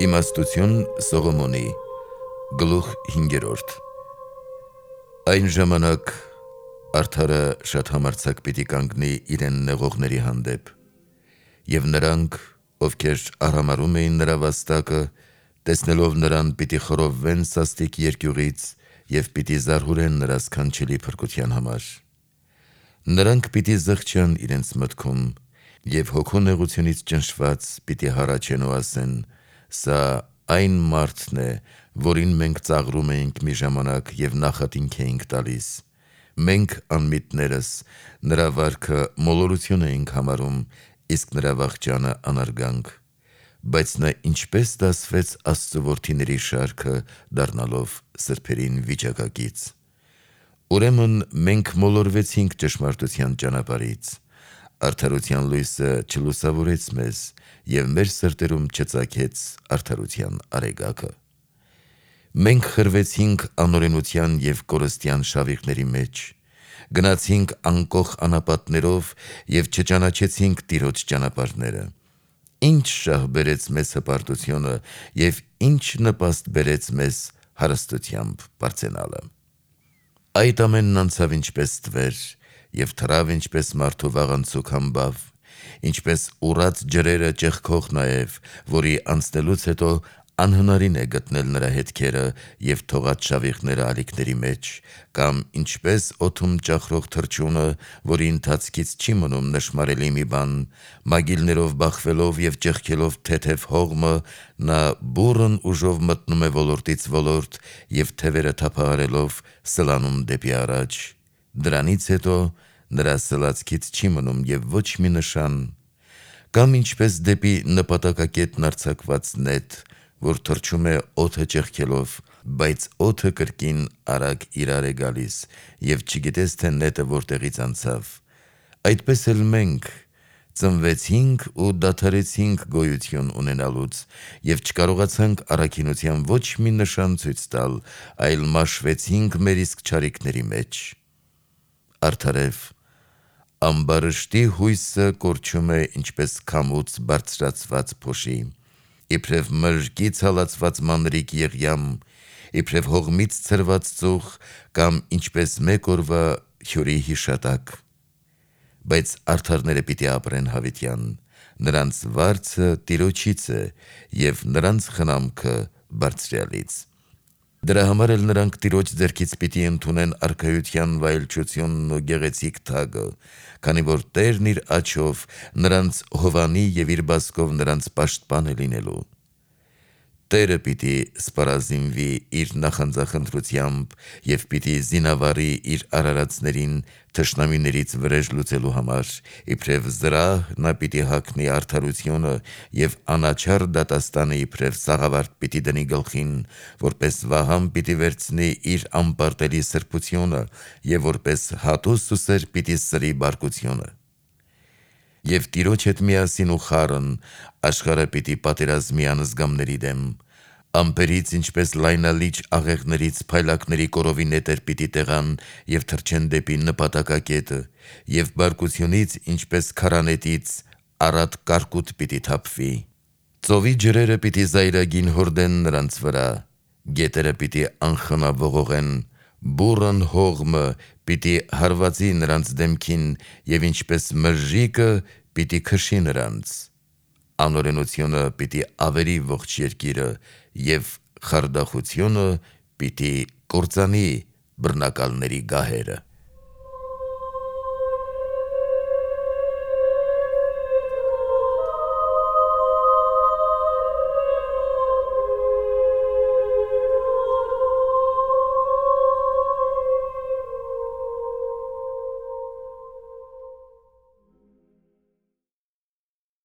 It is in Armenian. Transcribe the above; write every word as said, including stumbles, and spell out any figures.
Իմաստություն Սողոմոնի գլուխ հինգերորդ Այն ժամանակ արդարը շատ համարձակ պիտի կանգնի իրեն նեղողների հանդեպ, և նրանք, ովքեր արհամարհում էին նրա վաստակը, տեսնելով նրան պիտի խռովվեն սաստիկ երկյուղից և պիտի զարհուրեն նրա սքանչելի փրկության համար։ Նրանք պիտի զղջան իրենց մտքում և հոգու նեղությունից ճնշված պիտի հառաչեն ու ասեն. «Սա այն մարդն է, որին մենք ծաղրում էինք մի ժամանակ և նախատինք էինք տալիս։ Մենք անմիտներս նրա վարքը մոլորություն էինք համարում, իսկ նրա վախճանը անարգանք։ Բայց նա ինչպես դասվեց Աստծու որդիների շարքը, դառնալով սրբերին վիճակակից։ Ուրեմն մենք մոլորվեցինք ճշմարտության ճանապարհից, արդարության լույսը չլուսավորեց մեզ, և մեր սրտերում չծագեց արդարության արեգակը։ Մենք խրվեցինք անօրենության և կորստյան շավիղների մեջ, գնացինք անկոխ անապատներով և չճանաչեցինք Տիրոջ ճանապարհները։ Ինչ շահ բերեց մեզ հպարտությունը և ինչ նպաստ բերեց մեզ հարստությամբ պարծենալը։ Այդ ամենն անցավ ինչպես ստվեր և թռավ ինչպես մարդու վաղանցուկ համբավ, ինչպես ուռած ջրերը ճեղքող նաև, որի անցնելուց հետո անհնարին է գտնել նրա հետքերը և թողած շավիղները ալիքների մեջ, կամ ինչպես օդում ճախրող թռչյունը, որի ընթացքից չի մնում նշմարելի մի բան, մագիլներով բախվելով և ճեղքելով թեթև հողմը, նա բուռն ուժով մտնում է ոլորտից ոլորտ և թևերը թափահարելով սլանում դեպի առաջ։ Դրանից հետո նրա սլացքից չի մնում և ոչ մի նշան։ Կամ ինչպես դեպի նպատակակետն արձակված նետ, որ թռչում է օդը ճեղքելով, բայց օդը կրկին արագ իրար է գալիս, և չգիտես, թե նետը որտեղից անցավ, այդպես էլ մենք ծնվեցինք ու դադարեցինք գոյություն ունենալուց և չկարողացանք առաքինության ոչ մի նշան ցույց տալ, այլ մաշվեցինք մեր իսկ չարիքների մեջ։ Արդարև ամբարշտի հույսը կորչում է ինչպես քամուց բարձրացված փոշի, իբրև մրրկից հալածված մանրիկ եղյամ, իբրև հողմից ցրված ծուխ կամ ինչպես մեկ օրվա հյուրի հիշատակ։ Բայց արդարները պիտի ապրեն հավիտյան, նրանց վարձը Տիրոջից է և նրանց խնամքը Բարձրյալից։ Դրա համար էլ նրանք Տիրոջ ձեռքից պիտի ընդունեն արքայության վայելչությունն ու գեղեցիկ թագը, քանի որ Տերն իր աջով նրանց հովանի և իր բազկով նրանց պաշտպան է լինելու։ Տերը պիտի սպառազինվի իր նախանձախնդրությամբ և պիտի զինավառի իր արարածներին թշնամիներից վրեժ լուծելու համար, իբրև զրահ նա պիտի հագնի արդարությունը և անաչառ դատաստանը իբրև սաղավարտ պիտի դնի գլխին, որպես վահան պիտի վերցնի իր անպարտելի սրբությունը և որպես հատուս ու սեր պիտի սրի բարկությունը։ Եվ Տիրոջ հետ միասին ու խառն աշխարհը պիտի պատերազմի անզգամների դեմ, ամպերից ինչպես լայնալիճ աղեղներից փայլակների կորովի նետեր պիտի տեղան և թռչեն դեպի նպատակակետը, և բարկությունից ինչպես քարանետից առատ կարկուտ պիտի թափվի։ Ծովի ջրերը պիտի զայրագին հորդեն նրանց վրա, գետերը պիտի անխնա ողողեն, բուռն հողմը պիտի հարվածի նրանց դեմքին և ինչպես մրրիկը պիտի քշի նրանց։ Անօրենությունը պիտի ավերի ողջ երկիրը և խարդախությունը պիտի կործանի բռնակալների գահերը։